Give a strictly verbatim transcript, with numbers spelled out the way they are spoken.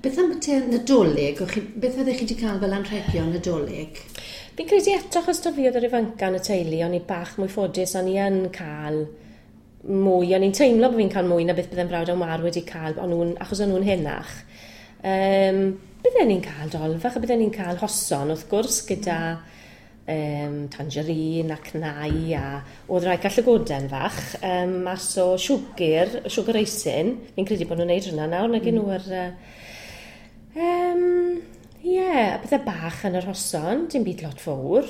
Beth am te Nadolig? O'ch chi, beth fyddech chi wedi cael fel anrhegion Nadolig? Fi'n credu eto, achos to fi oedd yr ifanca yn y teulu, o'n i bach mwy ffodus, o'n i yn cael mwy, o'n i'n teimlo bod fi'n cael mwy na beth bydde'n brawd a'n war wedi cael, o'n nhw'n, achos o'n nhw'n henach. Um, bydden ni'n cael dolfach a bydden ni'n cael hoson wrth gwrs gyda um, tangerine a cnau a oedd rhai cael llygoden fach um, mas o siwgr, sugar raisin. Fi'n credu bod nhw'n neud hwnna nawr, nag mm. nhw ar... Um, Ie, yeah, a pethau bach yn yr hoson, dim byd lot fawr.